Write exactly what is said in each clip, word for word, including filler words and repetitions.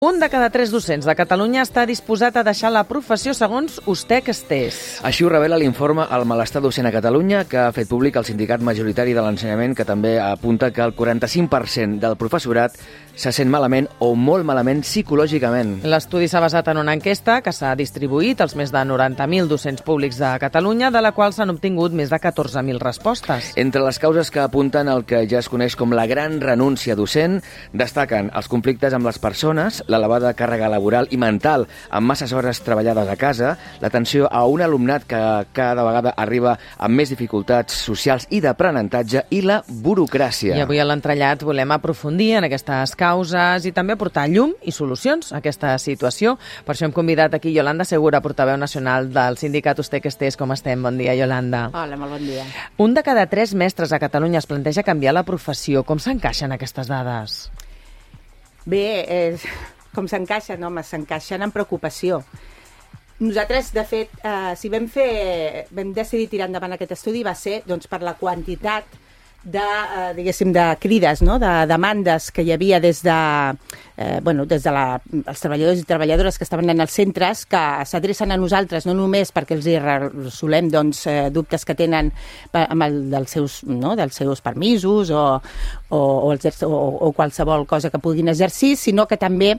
Un de cada tres docents de Catalunya està disposat a deixar la professió segons Ustec Estés. Així ho revela l'informe El malestar docent a Catalunya, que ha fet públic el sindicat majoritari de l'ensenyament, que també apunta que el quaranta-cinc per cent del professorat se sent malament o molt malament psicològicament. L'estudi s'ha basat en una enquesta que s'ha distribuït als més de noranta mil docents públics de Catalunya, de la qual s'han obtingut més de catorze mil respostes. Entre les causes que apunten el que ja es coneix com la gran renúncia docent, destaquen els conflictes amb les persones, l'elevada càrrega laboral i mental amb masses hores treballades a casa, l'atenció a un alumnat que cada vegada arriba amb més dificultats socials i d'aprenentatge i la burocràcia. I avui a l'entrellat volem aprofundir en aquestes causes i també aportar llum i solucions a aquesta situació. Per això hem convidat aquí Yolanda Segura, portaveu nacional del sindicat Ustec Estés. Com estem? Bon dia, Yolanda. Hola, molt bon dia. Un de cada tres mestres a Catalunya es planteja canviar la professió. Com s'encaixen aquestes dades? Bé, eh, com s'encaixen? Home, s'encaixen en preocupació. Nosaltres, de fet, eh, si vam fer, vam decidir tirar endavant aquest estudi va ser doncs, per la quantitat de, eh, diguéssim, de crides, no? De demandes que hi havia des de, eh, bueno, des de la, els treballadors i treballadores que estaven en els centres, que s'adrecen a nosaltres no només perquè els hi resolem doncs, eh, dubtes que tenen amb el, dels, seus, no? dels seus permisos o, o, o, els, o, o qualsevol cosa que puguin exercir, sinó que també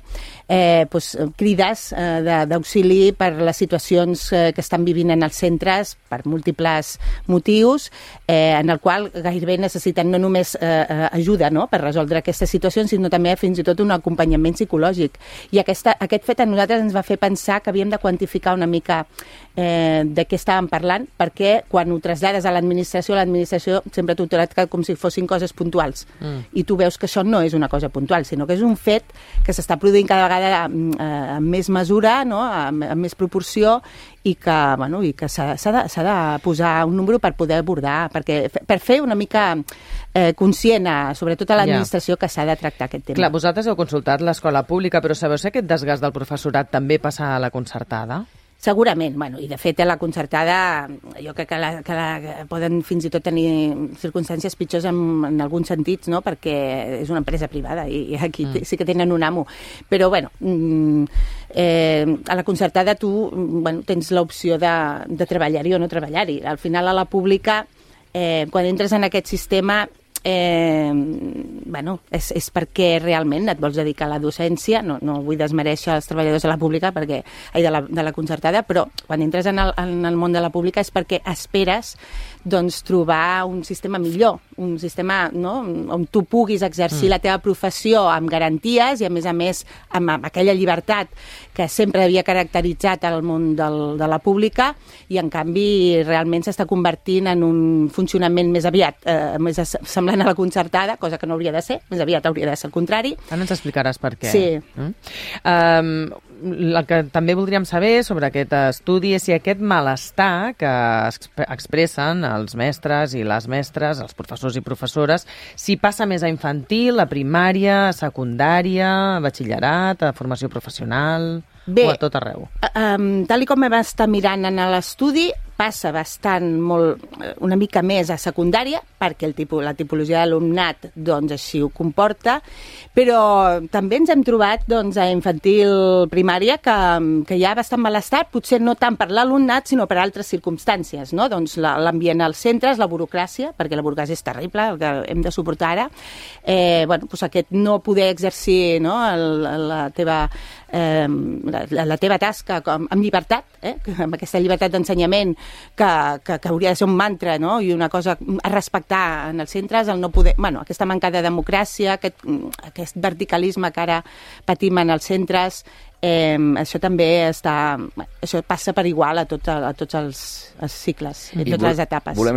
eh, doncs, crides eh, d'auxili per les situacions eh, que estan vivint en els centres per múltiples motius, eh, en el qual gairebé necessiten no només eh, ajuda, no?, per resoldre aquestes situacions, sinó també fins i tot un acompanyament psicològic. I aquesta, aquest fet a nosaltres ens va fer pensar que havíem de quantificar una mica eh, de què estàvem parlant, perquè quan ho traslades a l'administració, l'administració sempre t'ho tracta com si fossin coses puntuals. Mm. I tu veus que això no és una cosa puntual, sinó que és un fet que s'està produint cada vegada eh, amb més mesura, no?, amb, amb més proporció, i que, bueno, i que s'ha de, s'ha de posar un número per poder abordar, perquè, per fer una mica eh, conscient, a, sobretot a l'administració, yeah, que s'ha de tractar aquest tema. Clar, vosaltres heu consultat l'escola pública, però sabeu si aquest desgast del professorat també passa a la concertada? Segurament, bueno, i de fet a la concertada jo crec que, la, que la, poden fins i tot tenir circumstàncies pitjors en, en alguns sentits, no?, perquè és una empresa privada i, i aquí mm. sí que tenen un amo. Però, bueno, eh, a la concertada tu bueno, tens l'opció de, de treballar-hi o no treballar-hi. Al final a la pública, eh, quan entres en aquest sistema, Eh, bueno, és, és perquè realment et vols dedicar a la docència. No, no vull desmereixer els treballadors de la pública perquè, ai, de, la, de la concertada, però quan entres en el, en el món de la pública és perquè esperes doncs, trobar un sistema millor, un sistema, no?, on tu puguis exercir mm. la teva professió amb garanties i a més a més amb, amb aquella llibertat que sempre havia caracteritzat el món del, de la pública, i en canvi realment s'està convertint en un funcionament més aviat eh, més semblant a la concertada, cosa que no hauria de ser, més aviat hauria de ser el contrari. Ara ens explicaràs per què. Sí. Mm? Um, el que també voldríem saber sobre aquest estudi és si aquest malestar que expressen els mestres i les mestres, els professors i professores, si passa més a infantil, a primària, a secundària, a batxillerat, a formació professional... Bé, o a tot arreu. Um, tal i com vam estar mirant en l'estudi, passa bastant molt, una mica més a secundària, perquè el tipus, la tipologia d'alumnat doncs, així ho comporta, però també ens hem trobat doncs, a infantil primària que, que hi ha bastant malestar, potser no tant per l'alumnat, sinó per altres circumstàncies, no? Doncs l'ambient als centres, la burocràcia, perquè la burocràcia és terrible, el que hem de suportar ara, eh, bueno, doncs aquest no poder exercir, no?, el, la teva... Eh, la, la teva tasca com, amb llibertat, eh? amb aquesta llibertat d'ensenyament que, que, que hauria de ser un mantra, no?, i una cosa a respectar en els centres, el no poder, bueno, aquesta manca de democràcia, aquest, aquest verticalisme que ara patim en els centres, eh, això també està, això passa per igual a, tot, a tots els, els cicles, a totes les etapes.